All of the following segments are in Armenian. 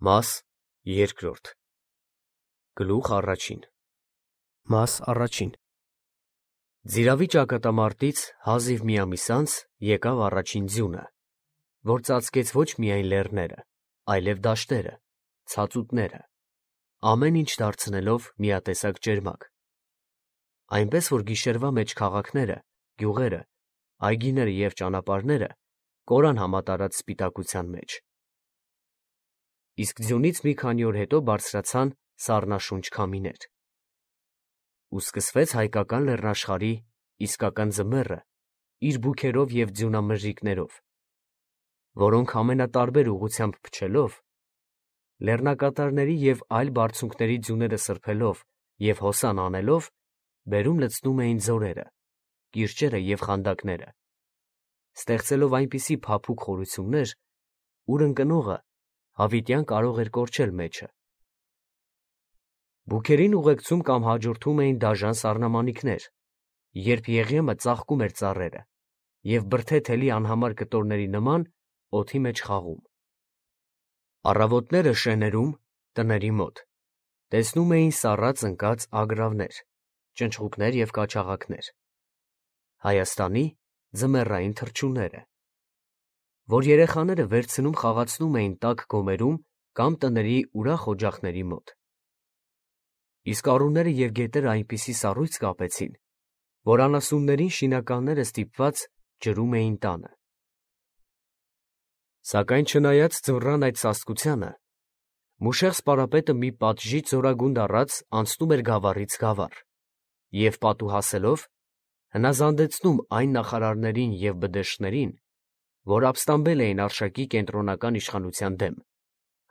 Մաս երկրորդ Գլուխ առաջին Մաս առաջին Ձիրավի ճակատամարտից հազիվ մի ամիս անց եկավ առաջին ձյունը, որ ծածկեց ոչ միայն լեռները, այլև դաշտերը, ցածուտները, ամեն ինչ դարձնելով միատեսակ ճերմակ, այնպես որ գիշերվա մեջ քաղաքները, գյուղերը, այգիները և ճանապարհները կորան համատարած սպիտակության մեջ։ Իսկ ձյունից մի քանի օր հետո բարձրացան սառնաշունչ քամիներ, ու սկսվեց հայկական լեռնաշխարհի իսկական ձմեռը իր բուքերով և ձյունամրրիկներով, որոնք ամենատարբեր ուղղությամբ փչելով, լեռնակատարների և այլ բարձունքների ձյուները սրբելով և հոսան անելով, բերում լցնում էին ձորերը, կիրճերը և խանդակները, ստեղծելով այնպիսի փափուկ խորություններ, ուր ընկնողը հավիտյան կարող էր կորչել մեջը։ Բուքերին ուղեկցում կամ հաջորդում էին դաժան սառնամանիքներ, երբ Եղեմը ծաղկում էր ծառերը և բրդե թելի անհամար կտորների նման օդի մեջ խաղում։ Առավոտները շեներում, տների մոտ, տեսնում էին սառած ընկած ագռավներ, ճնճղուկներ և կաչաղակներ, Հայաստանի ձմեռային թռչունները, որ երեխաները վերցնում խաղացնում էին տաք գոմերում կամ տների ուրախ օջախների մոտ։ Իսկ առուները և գետերը այնպիսի սառույց կապեցին, որ անասուններին շինականները ստիպված ջրում էին տանը։ Սակայն չնայած ձմռան այդ սաստկությանը, Մուշեղ սպարապետը մի պատժի ձորագունդ առած անցնում էր գավառից գավառ և պատուհասելով հնազանդեցնում այն նախարարներին և բդեշխներին, որ ապստամբել էին Արշակի կենտրոնական իշխանության դեմ,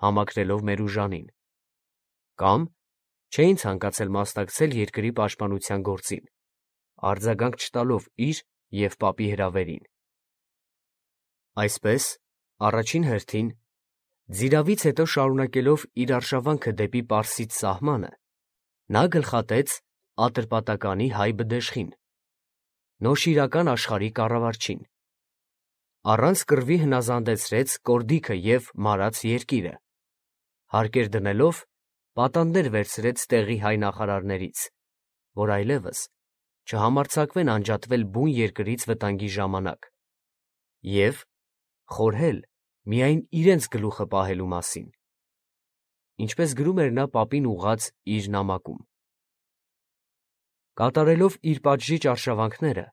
համակրելով Մերուժանին, կամ չէին ցանկացել մասնակցել երկրի պաշտպանության գործին, արձագանք չտալով իր և պապի հրավերին։ Այսպես, առաջին հերթին, ձիրավից հետո շարունակելով իր արշավանքը դեպի Պարսից սահմանը, նա գլխատեց Ատրպատականի հայ բդեշխին, Նոշիրական աշխարհի կառավարչին, առանց կռվի հնազանդեցրեց Կորդիքը և Մարաց երկիրը, հարկեր դնելով պատանդներ վերցրեց տեղի հայ նախարարներից, որ այլևս չհամարձակվեն անջատվել բուն երկրից վտանգի ժամանակ, և խորհել միայն իրենց գլուխը պահելու մասին, ինչպես գրում էր նա պապին ուղղած իր նամակում։ Կատարելով իր պատժիչ արշավանքները,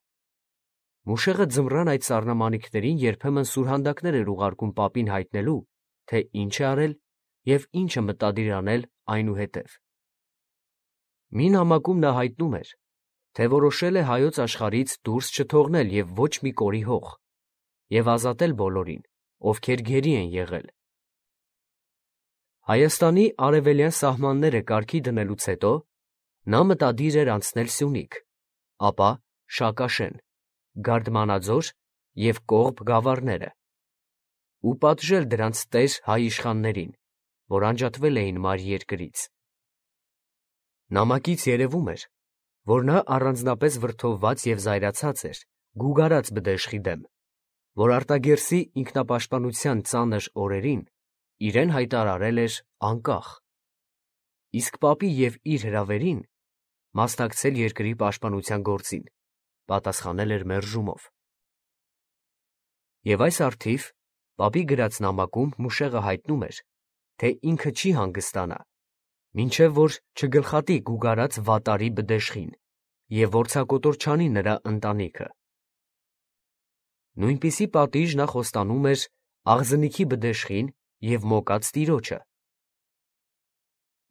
Մուշեղը ձմռան այդ սառնամանիքներին երբեմն սուրհանդակներ էր ուղարկում պապին հայտնելու, թե ինչ է արել և ինչ է մտադիր անել այնուհետև։ Մի նամակում նա հայտնում էր, թե որոշել է հայոց աշխարհից դուրս չթողնել և ոչ մի կորի հող և ազատել բոլորին, ովքեր գերի են եղել։ Հայաստանի արևելյան սահմանները կարգի դնելուց հետո նա մտադիր էր անցնել Սյունիք, ապա Շակաշեն, Գարդմանաձոր և Կողբ գավառները ու պատժել դրանց տեր հայ իշխաններին, որ անջատվել էին մայր երկրից։ Նամակից երևում էր, որ նա առանձնապես վրդովված և զայրացած էր գուգարած բդեշխի դեմ, որ արտագերսի ինքնապաշտպանության ծանր օրերին իրեն հայտարարել էր անկախ, իսկ պապի և իր հրավերին մասնակցել երկրի պաշտպանության գործին, պատասխանել էր մերժումով։ Եվ այս առթիվ պապի գրած նամակում Մուշեղը հայտնում էր, թե ինքը չի հանգստանա, մինչև որ չգլխատի գուգարած վատարի բդեշխին և որձակոտոր չանի նրա ընտանիքը։ Նույնպիսի պատիժ նա խոստանում էր Աղձնիքի բդեշխին և Մոկած տիրոջը։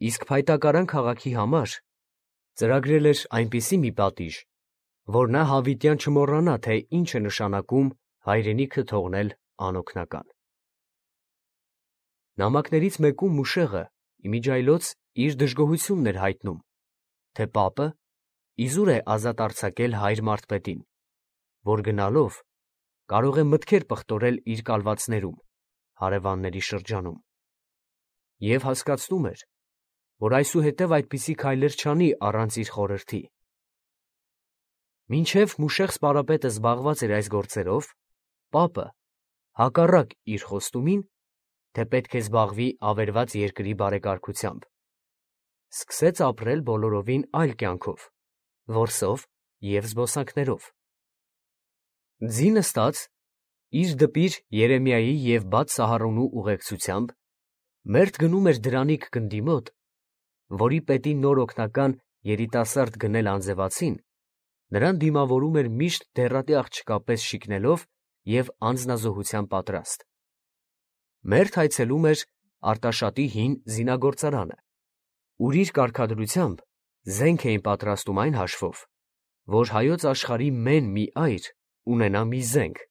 Իսկ Փայտակարան քաղաքի համար ծրագրել էր այնպիսի մի պատիժ, որ նա հավիտյան չմոռանա, թե ինչ է նշանակում հայրենիքը թողնել անօգնական։ Նամակներից մեկում Մուշեղը իմիջիայլոց իր դժգոհությունն էր հայտնում, թե պապը իզուր է ազատ արձակել հայր մարդպետին, որ գնալով կարող է մտքեր պղտորել իր կալվածներում, հարևանների շրջանում, և հասկացնում էր, որ այսուհետև այդպիսի քայլեր չանի առանց իր խորհրդի։ Մինչև Մուշեղ սպարապետը զբաղված էր այս գործերով, պապը, հակառակ իր խոստումին, թե պետք է զբաղվի ավերված երկրի բարեկարգությամբ։ Սկսեց ապրել բոլորովին այլ կյանքով, որսով և զբոսանքներով։ Ձի նստած, իր դպիր Երեմիայի և բաց Սահարոնու ուղեկցությամբ, մերթ գնում էր դրանիկ գնդի մոտ, որի պետի նոր օգնական երիտասարդ գնել անձևացին, նրան դիմավորում էր միշտ դեռատի աղջկա պես շիկնելով և անձնազոհության պատրաստ։ Մերթ այցելում էր Արտաշատի հին զինագործարանը, ուր իր կարգադրությամբ զենք էին պատրաստում այն հաշվով, որ հայոց աշխարհի մեն մի այր ունենա մի զենք,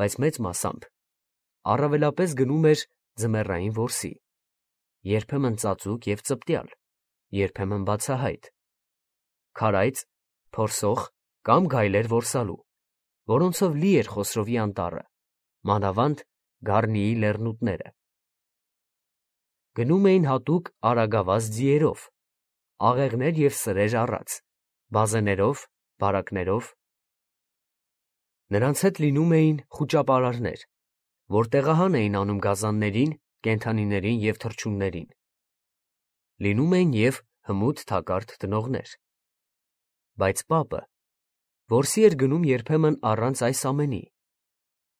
բայց մեծ մասամբ առավելապես գնում էր ձմեռային որսի, երբեմն ծածուկ և ծպտյալ, երբեմն բացահայտ, քարայծ, փորսող կամ գայլեր որսալու, որոնցով լի էր Խոսրովի անտառը, մանավանդ Գառնիի լեռնուտները։ Գնում էին հատուկ արագավազ ձիերով, աղեղներ և սրեր առած, բազեներով, բարակներով։ Նրանց հետ լինում էին խուճապարարներ, որ տեղահան էին անում գազաններին, կենդանիներին և թռչուններին։ Լինում էին և հմուտ թակարդ տնողներ։ Բայց պապը որսի էր գնում երբեմն առանց այս ամենի,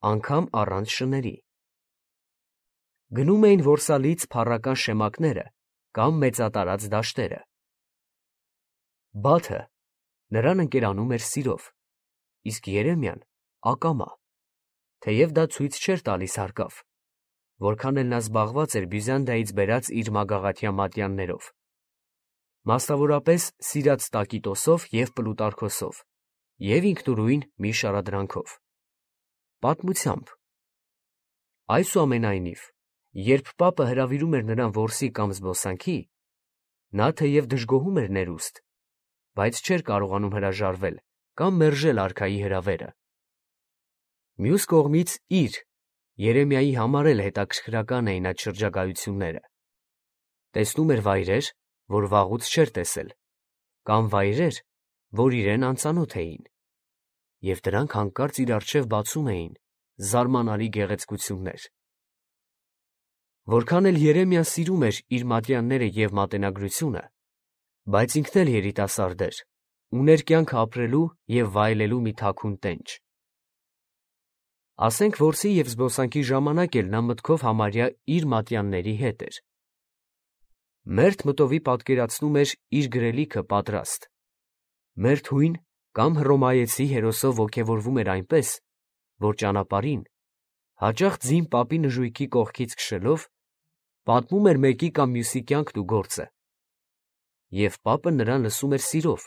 անգամ առանց շների։ Գնում էին որսալից փառական շեմակները կամ մեծատարած դաշտերը։ Բաթը նրան ընկերանում էր սիրով, իսկ Երեմիան ակամա, թեև դա ցույց չէր տալիս հարկավ, որքան էլ նա զբաղված էր Բյուզանդիայից բերած իր մագաղաթյա մատյաններով, մասնավորապես սիրած տակիտոսով և պլուտարքոսով, և ինքնուրույն մի շարադրանքով։ Պատմությամբ։ Այսուամենայնիվ, երբ պապը հրավիրում էր նրան որսի կամ զբոսանքի, նա թեև դժգոհում էր ներուստ, բայց չէր կարողանում հրաժարվել կամ մերժել արքայի հրավերը։ Մյուս կողմից իր, Երեմիայի համար էլ հետաքրքրական էին այդ շրջագայությունները։ Տեսնում էր վայրեր, որ վաղուց չէր տեսել, կամ վայրեր, որ իրեն անծանոթ էին, և դրանք հանկարծ իր առջև բացում էին զարմանալի գեղեցկություններ։ Որքան էլ Երեմիան սիրում էր իր մատյանները և մատենագրությունը, բայց ինքն էլ երիտասարդ էր, ուներ կյանքը ապրելու և վայելելու մի թաքուն տենչ։ Ասենք որսի և զբոսանքի ժամանակ էլ նա մտքով համարյա իր մատյանների հետ էր։ Մերթ մտովի պատկերացնում էր իր գրելիքը պատրաստ, մերթ հույն կամ հռոմայեցի հերոսով ոգևորվում էր այնպես, որ ճանապարհին, հաճախ ձին պապի նժույգի կողքից քշելով, պատմում էր մեկի կամ մյուսի կյանքն ու գործը, և պապը նրան լսում էր սիրով,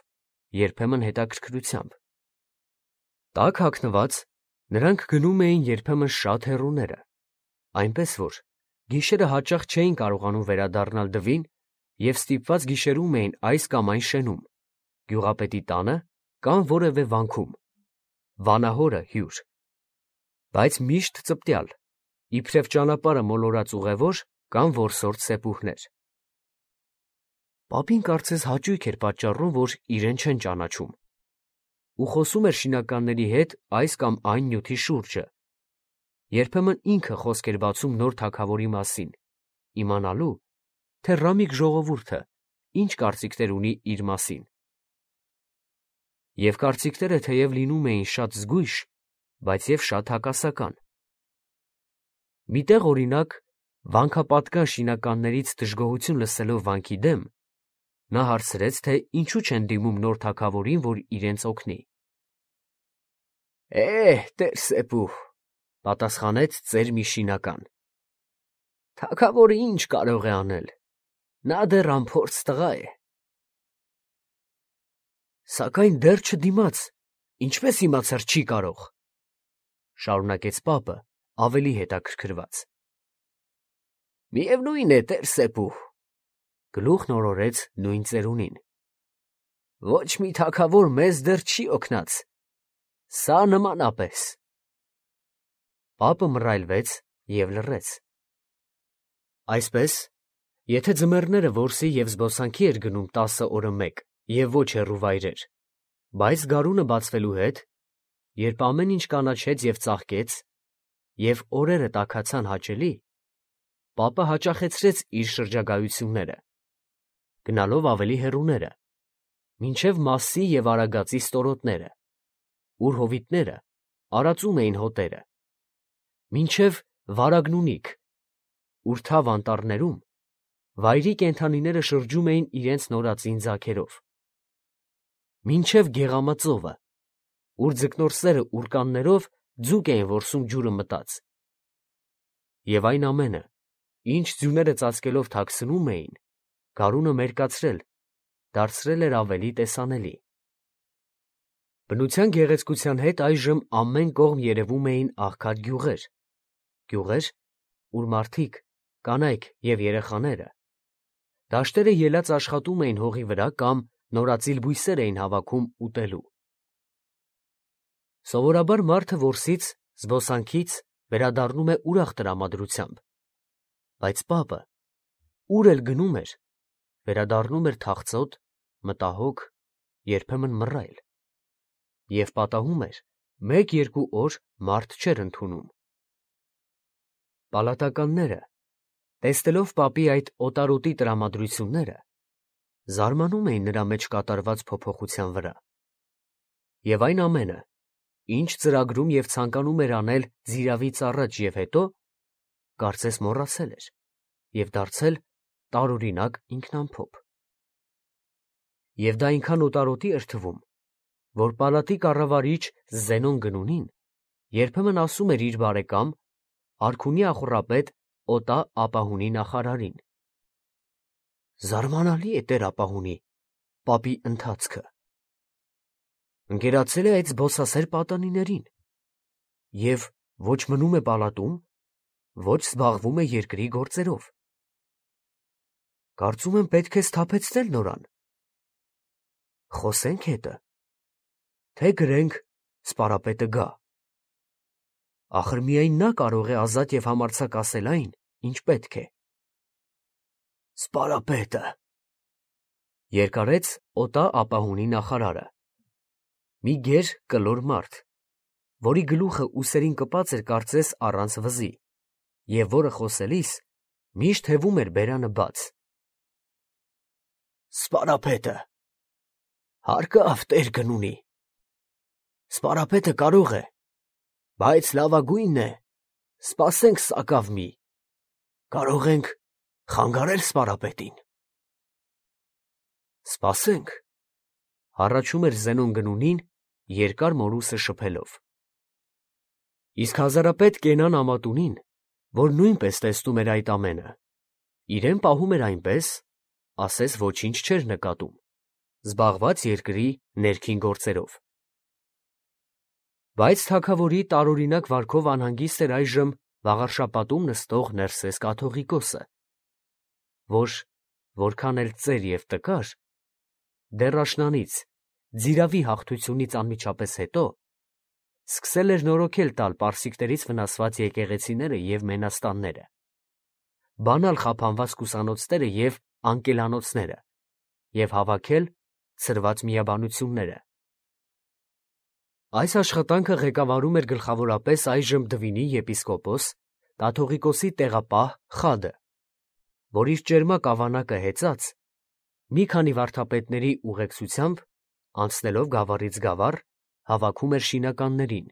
երբեմն հետաքրքրությամբ։ Տակ հագնված, նրանք գնում էին երբեմն շատ հեռուները, այնպես որ գիշերը հաճախ չէին կարողանում վերադառնալ դվին և ստիպված գիշերում էին այս կամ այն շենում, գյուղապետի տանը կամ որևէ վանքում, վանահորը հյուր, բայց միշտ ծպտյալ, իբրև ճանապարհը մոլորած ուղևոր կամ որսորդ սեպուհներ։ Պապին կարծես հաճույք էր պատճառում, որ իրեն չեն ճանաչում, ու խոսում էր շինականների հետ այս կամ այն նյութի շուրջը, երբեմն ինքը խոսք էր բացում նոր թագավորի մասին, իմանալու, թե ռամիկ ժողովուրդը ինչ կարծիքներ ունի իր մասին։ Եվ կարծիքները թեև լինում էին շատ զգույշ, բայց և շատ հակասական։ Մի տեղ, օրինակ, վանքապատկան շինականներից դժգոհություն լսելով վանքի դեմ, նա հարցրեց, թե ինչու չեն դիմում նոր թագավորին, որ իրենց օգնի։ Տեր սեպուհ, պատասխանեց ծեր մի շինական, թագավորը ինչ կարող է անել, նա դեռ անփորձ տղա է։ Սակայն դեռ չդիմաց, ինչպես իմացար չի կարող, շարունակեց պապը ավելի հետաքրքրված։ Միևնույն է, տեր սեպուհ, գլուխն օրորեց նույն ծերունին, ոչ մի թագավոր մեզ դեռ չի օգնած, սա նմանապես։ Պապը մռայլվեց և լռեց։ Այսպես, եթե ձմեռները որսի և զբոսանքի էր գնում 10 օրը մեկ և ոչ հեռու վայրեր, բայց գարունը բացվելու հետ, երբ ամեն ինչ կանաչեց և ծաղկեց, և օրերը տաքացան հաճելի, պապը հաճախեցրեց իր շրջագայությունները, գնալով ավելի հեռուները, մինչև Մասսի և Արագածի ստորոտները, ուր հովիտները արածում էին հոտերը, մինչև Վարագնունիք, ուր թավ անտառներում վայրի կենդանիները շրջում էին իրենց նորածին ձագերով, մինչև Գեղամածովը, ուր ձկնորսերը ուրկաններով ձուկ էին որսում ջուրը մտած, և այն ամենը, ինչ ձյուները ծածկելով թաքցնում էին, գարունը մերկացրել, դարձրել էր ավելի տեսանելի։ Բնության գեղեցկության հետ այժմ ամեն կողմ երևում էին աղքատ գյուղեր, ուր մարդիկ, կանայք և երեխաները, դաշտերը ելած աշխատում էին հողի վրա կամ նորածիլ բույսեր էին հավաքում ուտելու։ Սովորաբար մարդը որսից, զբոսանքից վերադառնում է ուրախ տրամադրությամբ, բայց պապը, ուր էլ գնում էր, վերադառնում էր թախծոտ, մտահոգ, երբեմն մռայլ, և պատահում էր, մեկ-երկու օր մարդ չէր ընդունում։ Պալատականները, տեսնելով պապի այդ օտարոտի տրամադրությունները, զարմանում էին նրա մեջ կատարված փոփոխության վրա, և այն ամենը, ինչ ծրագրում և ցանկանում էր անել ձիრავից առաջ և հետո, կարծես մոռացել էր և դարձել տարօրինակ ինքնամփոփ։ Եվ դա այնքան օտարոտի էր թվում, որ պալատի կառավարիչ Զենոն Գնունին երբեմն ասում էր իր բարեկամ, արքունի ախոռապետ Օտա Ապահունի նախարարին. «Զարմանալի է տեր֊Ապահունի, պապի ընթացքը. ընկերացել է այդ զբոսասեր պատանիներին և ոչ մնում է պալատում, ոչ զբաղվում է երկրի գործերով. կարծում եմ պետք է սթափեցնել նորան, խոսենք հետը, թե գրենք սպարապետը գա, ախր միայն նա կարող է ազատ և համարձակ ասել այն, ինչ պետք է»։ Սպարապետը, երկարեց Օտա Ապահունի նախարարը, մի գեր կլոր մարդ, որի գլուխը ուսերին կպած էր կարծես առանց վզի, և որը խոսելիս միշտ հևում էր բերանը բաց։ Սպարապետը, հարկավ տեր Գնունի, սպարապետը կարող է, բայց լավագույնն է, սպասենք սակավ մի, կարող ենք խանգարել սպարապետին։ Սպասենք, հառաչում էր Զենոն Գնունին երկար մորուսը շփելով։ Իսկ հազարապետ Կենան Ամատունին, որ նույնպես տեսնում էր այդ ամենը, իրեն պահում էր այնպես, ասես ոչինչ չէր նկատում, զբաղված երկրի ներքին գործերով։ Բայց թագավորի տարօրինակ վարքով անհանգիստ էր այժմ վաղարշապատում նստող Ներսես կաթողիկոսը, որ, որքան էլ ծեր և տկար, դեռ աշնանից, ձիravի հաղթությունից անմիջապես հետո, սկսել էր նորոգել տալ պարսիկներից վնասված եկեղեցիները և մենաստանները, բանալ խափանված կուսանոցները և անկելանոցները և հավաքել ցրված միաբանությունները։ Այս աշխատանքը ղեկավարում էր գլխավորապես այժմ Դվինի եպիսկոպոս, կաթողիկոսի տեղապահ Խադը, որ իր ճերմակ ավանակը հեծած, մի քանի վարդապետների ուղեկցությամբ, անցնելով գավառից գավառ, հավաքում էր շինականներին,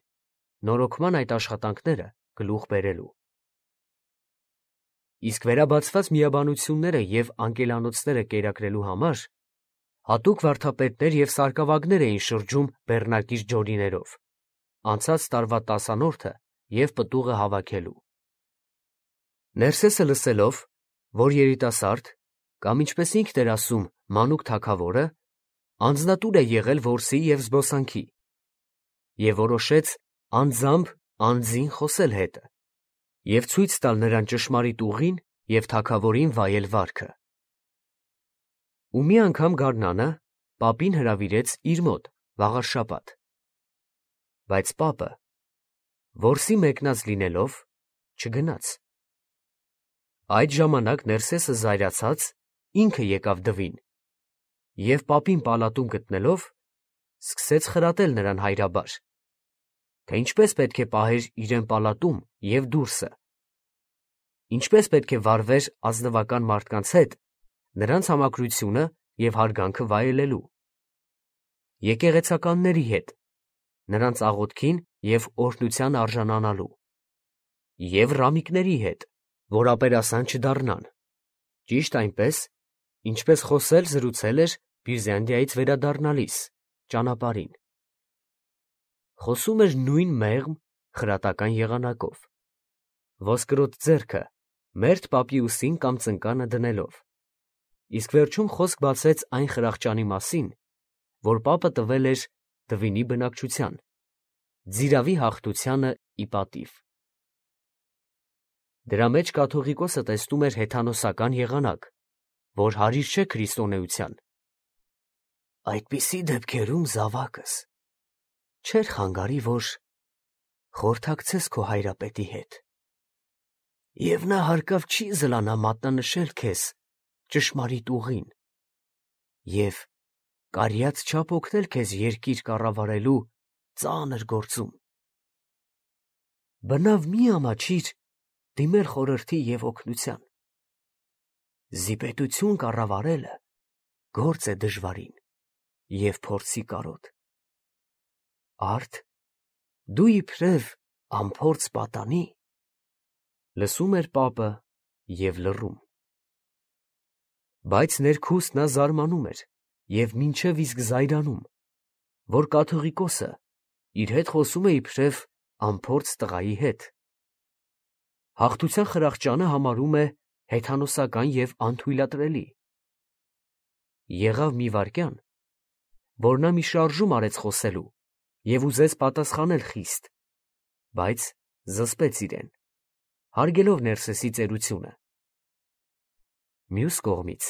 նորոգման այդ աշխատանքները գլուխ բերելու։ Իսկ վերաբացված միաբանությունները և անկելանոցները կերակրելու համար հատուկ վարդապետներ և սարկավագներ էին շրջում բեռնակիր ջորիներով, անցած տարվա տասանորդը և պտուղը հավաքելու։ Ներսեսը լսելով, որ երիտասարդ, կամ ինչպես ինքն էր ասում, մանուկ թագավորը, անձնատուր է եղել որսի և զբոսանքի, և որոշեց անձամբ անձին խոսել հետը և ցույց տալ նրան ճշմարիտ ուղին և թագավորին վայել վարքը։ Ու մի անգամ գարնանը պապին հրավիրեց իր մոտ վաղարշաբաթ, բայց պապը, որսի մեկնած լինելով, չգնաց։ Այդ ժամանակ Ներսեսը զայրացած ինքը եկավ Դվին և պապին պալատում գտնելով, սկսեց խրատել նրան հայրաբար, թե ինչպես պետք է պահեր իրեն պալատում և դուրսը, ինչպես պետք է վարվեր ազնվական մարդկանց հետ, նրանց համակրությունը և հարգանքը վայելելու, եկեղեցականների հետ, նրանց աղոթքին և օրհնության արժանանալու, և ռամիկների հետ, որ ապերասան չդառնան, ճիշտ այնպես, ինչպես խոսել զրուցել էր Բիրզանդիայից վերադառնալիս ճանապարհին. խոսում էր նույն մեղմ, խրատական եղանակով, ոսկրոտ ձեռքը մերթ պապի ուսին կամ ծնկանը դնելով, իսկ վերջում խոսք բացեց այն խրախճանի մասին, որ պապը տվել էր Դվինի բնակչության, ձիրավի հաղթությանը ի պատիվ։ Դրա մեջ կաթողիկոսը տեսնում էր հեթանոսական եղանակ, որ հարիր չէ քրիստոնեության։ Այդպիսի դեպքերում զավակս չէր խանգարի, որ խորհրդակցես քո հայրապետի հետ, և նա հարկավ չի զլանա մատնանշել քեզ ճշմարիտ ուղին և կարիաց չափ օգնել քեզ երկիր կառավարելու ծանր գործում։ Բնավ մի ամաչիր դիմել խորհրդի և օգնության։ Զիպետություն կառավարելը գործ է դժվարին և փորձի կարոտ։ Արդ դու իբրև անփորձ պատանի, լսում էր պապը և լռում։ Բայց ներքուստ նա զարմանում էր և մինչև իսկ զայրանում, որ կաթողիկոսը իր հետ խոսում է իբրև անփորձ տղայի հետ։ Հաղթության խրախճանը համարում է հեթանոսական և անթույլատրելի։ Եղավ մի վայրկյան, որ նա մի շարժում արեց խոսելու և ուզեց պատասխանել խիստ, բայց զսպեց իրեն, հարգելով Ներսեսի ծերությունը։ Մյուս կողմից,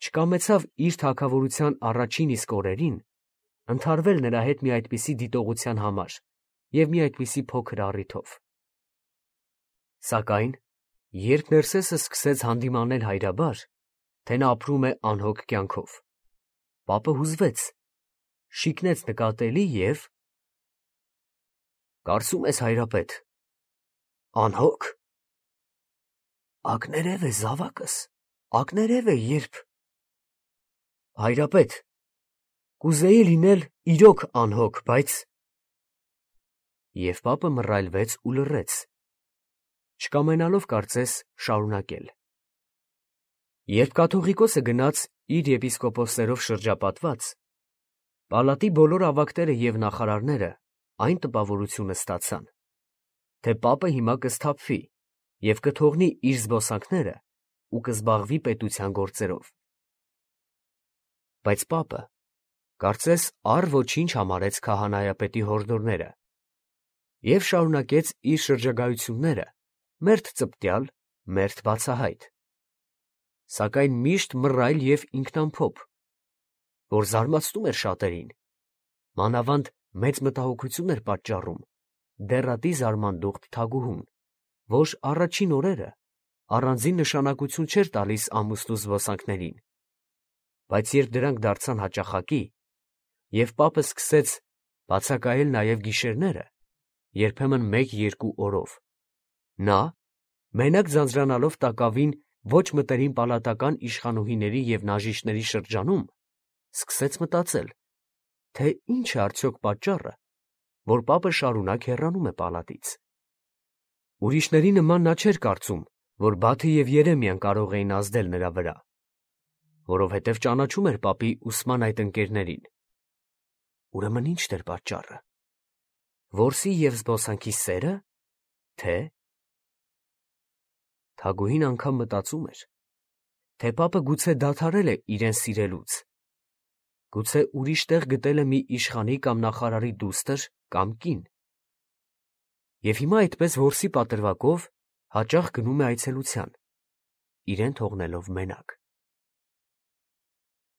չկամեցավ իր թագավորության առաջին իսկ օրերին ընդհարվել նրա հետ մի այդպիսի դիտողության համար և մի այդպիսի փոքր առիթով։ Սակայն, երբ Ներսեսը սկսեց հանդիմանել հայրաբար, թե նա ապրում է անհոգ կյանքով, պապը հուզվեց, շիկնեց նկատելի և կարծում ես, հայրապետ, անհո՞գ։ Ակներև է, զավակս, ակներև է, երբ… Հայրապետ, կուզեի լինել իրոք անհոգ, բայց… Եվ պապը մռայլվեց ու լռեց, չկամենալով կարծես շարունակել։ Երբ կաթողիկոսը գնաց իր եպիսկոպոսներով շրջապատված, պալատի բոլոր ավագները և նախարարները այն տպավորությունը ստացան, թե պապը հիմա կսթափվի և կթողնի իր զբոսանքները ու կզբաղվի պետության գործերով։ Բայց պապը կարծես առ ոչինչ համարեց քահանայապետի հորդորները և շարունակեց իր շրջագայությունները մերթ ծպտյալ, մերթ բացահայտ, սակայն միշտ մռայլ և ինքնամփոփ, որ զարմացնում էր շատերին, մանավանդ մեծ մտահոգություն էր պատճառում դեռատի զարմանդուխտ թագուհուն, որ առաջին օրերը առանձին նշանակություն չէր տալիս ամուսնու զբոսանքներին, բայց երբ դրանք դարձան հաճախակի, և պապը սկսեց բացակայել նաև գիշերները, երբեմն 1-2 օրով, նա, մենակ ձանձրանալով տակավին ոչ մտերիմ պալատական իշխանուհիների և նաժիշտների շրջանում, սկսեց մտածել, թե ինչ է արդյոք պատճառը, որ պապը շարունակ հեռանում է պալատից։ Ուրիշների նման նա չէր կարծում, որ Բաթը և Երեմիան կարող էին ազդել նրա վրա, որովհետև ճանաչում էր պապի ուսման այդ ընկերներին։ Ուրեմն ի՞նչն էր պատճառը։ Որսի և զբոսանքի սե՞րը, թե… Թագուհին անգամ մտածում էր, թե պապը գուցե դադարել է իրեն սիրելուց, գուցե ուրիշ տեղ գտել է մի իշխանի կամ նախարարի դուստր կամ կին, և հիմա այդպես որսի պատրվակով հաճախ գնում է այցելության, իրեն թողնելով մենակ։